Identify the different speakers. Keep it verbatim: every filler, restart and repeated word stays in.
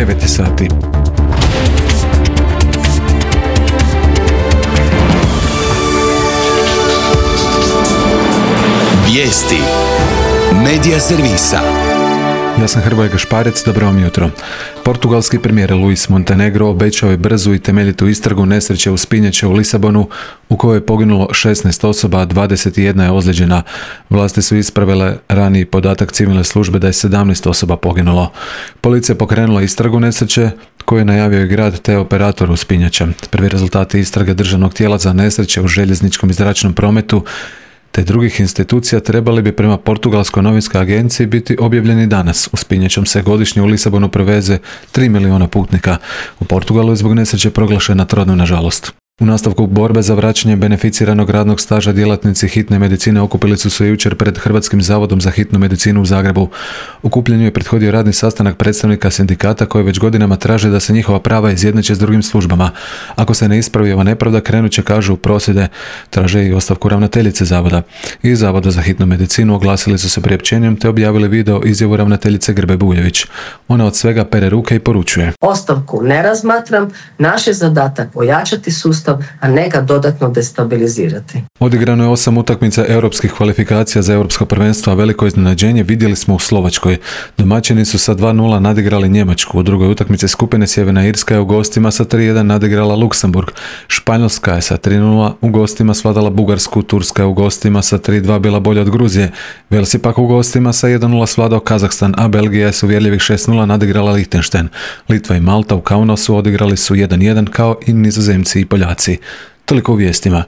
Speaker 1: devet sati.
Speaker 2: Vijesti Medija servisa.
Speaker 1: Ja sam Hrvoje Gašparec, dobro vam jutro. Portugalski premijer Luis Montenegro obećao je brzu i temeljitu istragu nesreće u Spinjače u Lisabonu u kojoj je poginulo šesnaest osoba, a dvadeset jedna je ozlijeđena. Vlasti su ispravile raniji podatak civilne službe da je sedamnaest osoba poginulo. Policija pokrenula istragu nesreće koju je najavio i grad te operator u Spinjače. Prvi rezultati istrage državnog tijela za nesreće u željezničkom i zračnom prometu te drugih institucija trebali bi prema Portugalskoj novinskoj agenciji biti objavljeni danas. U Spinjačom se godišnje u Lisabonu preveze tri milijuna putnika. U Portugalu je zbog nesreće proglašena trodnevna žalost. U nastavku borbe za vraćanje beneficiranog radnog staža djelatnici hitne medicine okupili su se jučer pred Hrvatskim zavodom za hitnu medicinu u Zagrebu. Okupljenju je prethodio radni sastanak predstavnika sindikata koji već godinama traže da se njihova prava izjednače s drugim službama. Ako se ne ispravi ova nepravda, krenut će, kažu, u prosvjede. Traže i ostavku ravnateljice zavoda. Iz Zavoda za hitnu medicinu oglasili su se priopćenjem te objavili video izjavu ravnateljice Grbe Buljević. Ona od svega pere ruke i poručuje:
Speaker 3: Ostavku ne razmatram, naš je zadatak ojačati sustav, a ne ga dodatno destabilizirati.
Speaker 1: Odigrano je osam utakmica europskih kvalifikacija za europsko prvenstvo, a veliko iznenađenje vidjeli smo u Slovačkoj. Domaćini su sa dva nula nadigrali Njemačku. U drugoj utakmici skupine Sjeverna Irska je u gostima sa tri jedan nadigrala Luksemburg. Španjolska je sa tri nula u gostima svladala Bugarsku. Turska je u gostima sa tri dva bila bolja od Gruzije. Vels je pak u gostima sa jedan nula svladao Kazahstan, a Belgija je s uvjerljivih šest nula nadigrala Lichtenstein. Litva i Malta u Kaunasu odigrali su jedan jedan kao i Nizozemci i Poljaci. Toliko u vijestima.